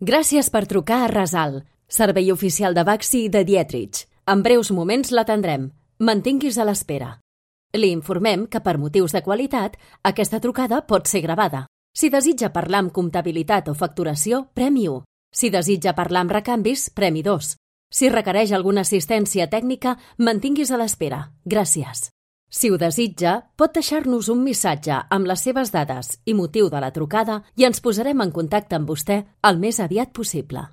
Gràcies per trucar a Rasal, servei oficial de Baxi i de Dietrich. En breus moments l'atendrem. Mantinguis a l'espera. Li informem que per motius de qualitat aquesta trucada pot ser gravada. Si desitja parlar amb comptabilitat o facturació, premi 1. Si desitja parlar amb recanvis, premi 2. Si requereix alguna assistència tècnica, mantinguis a l'espera. Gràcies. Si ho desitja, pot deixar-nos un missatge amb les seves dades i motiu de la trucada i ens posarem en contacte amb vostè el més aviat possible.